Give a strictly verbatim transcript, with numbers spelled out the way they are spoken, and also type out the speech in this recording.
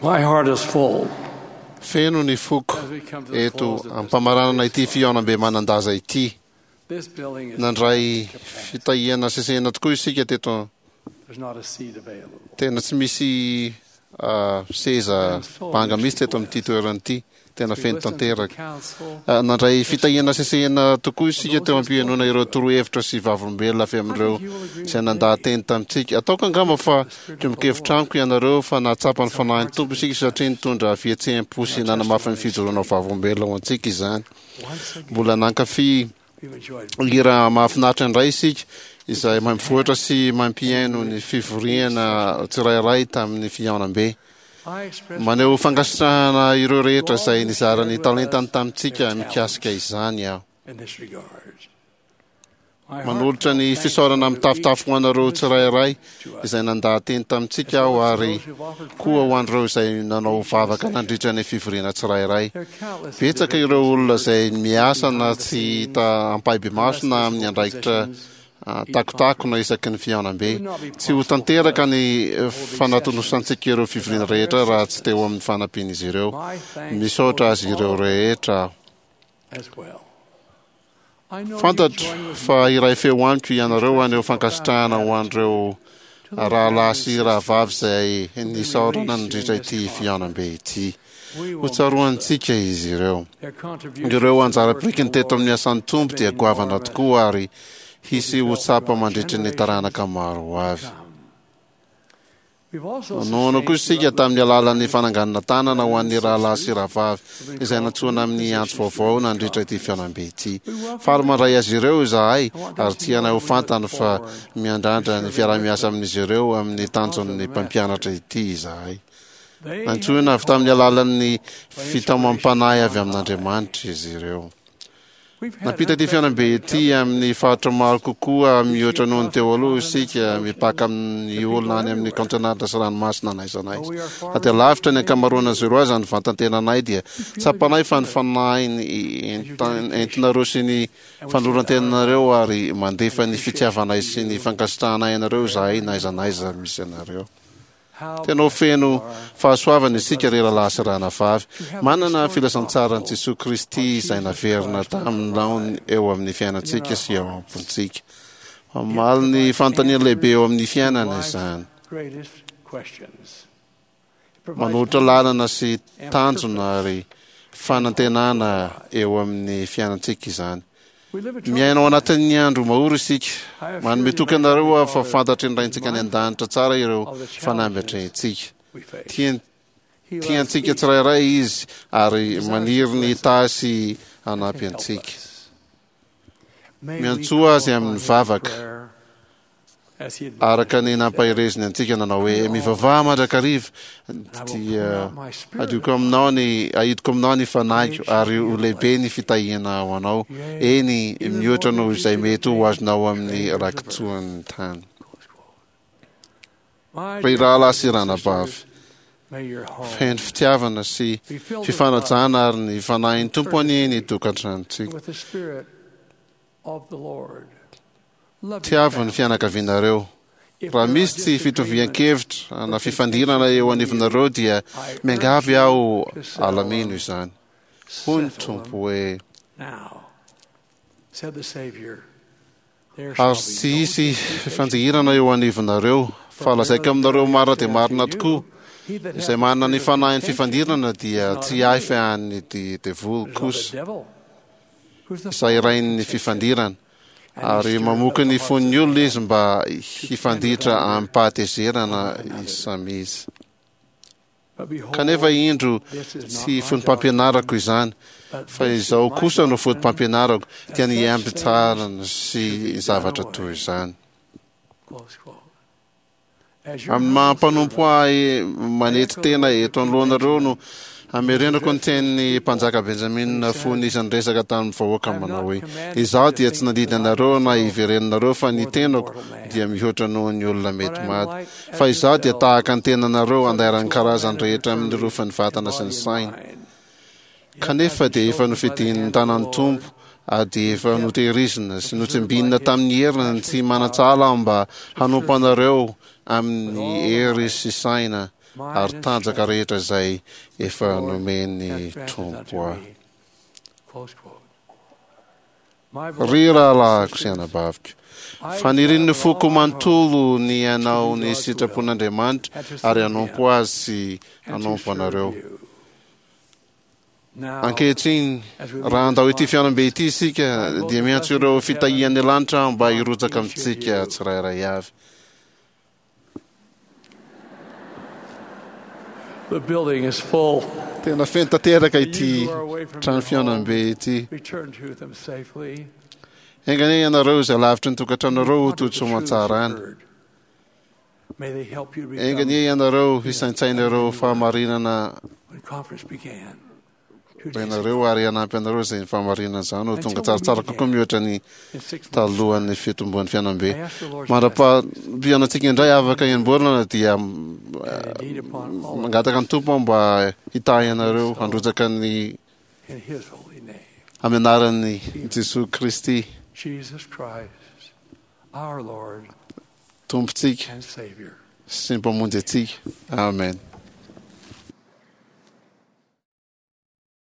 My heart is full. Feno ny foko eto am-pamaranana ity fihaonambe manan-daza ity. This building is Nandray fitahiana sesehena tokoa isika teto. There's not a seat available. Tena tsy misy ah, seza banga mihitsy teto amin'ity toerana ity. Tena feno tanteraka. Ah, Nandray fitahiana sesehena tokoa isika teo am-pihainoana ireo torohevitra sy vavolombelona avy amin'ireo izay nandaha-teny tamintsika. Ataoko angamba fa miombon-kevitra amiko ianareo fa nahatsapa ny fanahin'ny Tompo isika satria nitondra fihetseham-po sy nanamafy ny fijoroana ho vavolombelona ho antsika izany. Mbola nankafy We've enjoyed hira mahafinaritra indray isika izay mampivoatra sy mampihaino ny fivoriana tsirairay tamin'ny fihaonambe. I express Maneho fankasitrahana ireo rehetra izay nizara ny talentany tamintsika mikasika izany aho. in this regard. My Manolotra ny heartfelt fisaorana thanks go to mitafotafo ho anareo each tsirairay to us, izay nandaha-teny tamintsika aho ary koa ho an'ireo izay nanao vavaka nandritra ny fivoriana tsirairay. There are countless Betsaka ireo olona izay miasa na tsy hita ampahibemaso na amin'ny andraikitra ah, takotakona isaky ny fihaonambe. Tsy ho tanteraka ny eh, fanatonosantsika ireo fivoriana rehetra raha tsy teo amin'ny fanampian'izy ireo. My thanks Misaotra goes azy to ireo all rehetra aho. as well. I know you Fantatro join with fa iray feo amiko ianareo haneho fankasitrahana ho an'ireo rahalahy sy rahavavy izay nisaorana nandritra ity fihaonambe ity. we Ho will tsaroantsika izy ireo. their contributions Ireo to the anjara work of birikiny the teto amin'ny Lord asan'ny Tompo dia have been goavana enormous. tokoa ary hisy ho tsapa mandritry ny taranaka maro ho avy. Come. We've also Nanohana koa sustained isika through tamin'ny alalan'ny fananganana tanana ho an'ny rahalahy sy rahavavy izay nantsoina amin'ny antso vaovao nandritra ity fihaonambe ity. Faly mandray azy ireo izahay ary tianay ho fantany fa miandrandra ny fiaraha-miasa amin'izy ireo amin'ny tanjon'ny mpampianatra ity izahay. They Nantsoina avy tamin'ny alalan'ny fitaomam-panahy avy amin'Andriamanitra izy ireo. We've had Nampita ity fihaonambe ity amin'ny faritra maro kokoa mihoatra noho ny teo aloha isika mipaka amin'ny olona any amin'ny kaontinanta sy ranomasina n'aiza n'aiza. Na dia lavitra ny ankamaroan'izy ireo aza ny vantan-tenanay dia tsapanay fa ny fanahiny enta- entinareo sy ny fanoloran-tenanareo ary mandefa ny fitiavanay sy ny fankasitrahanay anareo izahay n'aiza n'aiza misy anareo. how Tena ho feno fahasoavana isika ry rahalahy sy rahavavy. Manana filazantsaran'i Jesoa Kristy izay naverina tamin'ny laony eo amin'ny fiainantsika sy eo am-pontsika. Mamaly ny fanontaniana lehibe eo amin'ny fiainana izany. greatest questions. It provides Manolotra lalana sy tanjona ary fanantenana eo amin'ny fiainantsika izany. We live a Miaina ao anatin'ny andro mahory isika. Manome toky anareo aho fa fantatry ny Raintsika any an-danitra tsara ireo fanamby atrehintsika. we face. Tian- He loves Tiantsika each tsirairay izy ary maniry ny hitahy sy hanampy and help antsika. us. May we Miantsoa call azy amin'ny upon him in vavaka. prayer as he admonished Araka ny us. nampahereziny antsika nanao hoe mivavaha mandrakariva I will pour dia out my spirit adioko aminao ny ahidiko aminao ny fanahiko ary ho lehibe ny fitahiana ho anao eny mihoatra noho izay mety ho azonao amin'ny rakitsoan'ny tany. Close quote. My Ry dear rahalahy sy brothers and ranabavy, sisters, may your home feno fitiavana sy be filled with fifanajana ary ny fanahin'ny Tompo anie ny love tokantranontsika. and with the spirit of the Lord. Love your Tiavo ny family. fianakavianareo. If Raha there are misy tsy disagreements fitovian-kevitra na fifandirana eo anivonareo dia I miangavy urge aho you to settle alamino them izany. Hoy ny Settle Tompo them hoe now, said the Savior. There shall ary be tsy no hisy disputation. fifanjihirana eo anivonareo fa lazaiko aminareo marina dia marina tokoa He that hath izay the manana ny spirit of fanahin'ny contention fifandirana dia is not tsy of ahy me, fa an'ny de- devoly but is of the kosa devil, who's the izay father of rain'ny contention, fifandirana and he ary stirreth mamoky up the ny hearts fon'ny of olona men izy mba hifanditra amim-pahatezerana izy samy izy. But behold, Kanefa indro this is not tsy my fotopampianarako izany but fa this is izao my kosa no doctrine, fotopampianarako dia ny such ampitsarana sy zavatra toy izany. Close quote. As your Amin'ny humble maha mpanompo servant, ahy manetry tena eto anoloanareo no amerenako ny tenin'ny mpanjaka Benjamina fony izy niresaka tamin'ny vahoaka manao hoe izaho dia tsy nandidy anareo na hiverenanareo fa ny tenako dia mihoatra noho ny olona mety maty fa izaho dia tahaka ny tenanareo andairan'ny karazany rehetra amin'ny rofan'ny vatana sy ny saina. Kanefa dia efa nofidin'ny tanan'ny Tompo ary dia efa notehirizina sy notsimbinina tamin'ny heriny tsy manan-tsahala aho mba hanompo anareo amin'ny hery sy saina ary tanjaka rehetra izay efa nomen'ny Tompo ahy. Ry rahalahiko sy anabaviko, fanirian'ny foko manontolo ny hanao ny sitrapon'Andriamanitra ary hanompo Azy sy hanompo anareo. Ankehitriny, raha handao ity fihaonambe ity isika, dia miantso ireo fitahian'ny lanitra aho mba hirotsaka amintsika tsirairay avy. The building is full. Tena feno tanteraka ity trano fihaonambe ity. Return to them safely. Enga anie ianareo izay lavitry ny tokantranonareo ho tody soamantsara any. May they help you to Enga become anie ianareo hisaintsaina ireo fahamarinana when conference began. Two days ianareo ary hanampy anareo izay ny fahamarinana izany ho tonga tsaratsara kokoa mihoatra ny in six months. talohan'ny fitomboan'ny fihaonambe. I ask the Lord's Mandra-pihaonantsika indray afaka enim-bolana dia mm, and indeed upon all of mangataka ny Tompo aho mba hitahy anareo handrotsaka ny in His holy name, amin'ny anaran'i Jesoa Kristy Jesus Christ, our Lord Tompontsika and Savior. sy ny Mpamonjy antsika. Amen.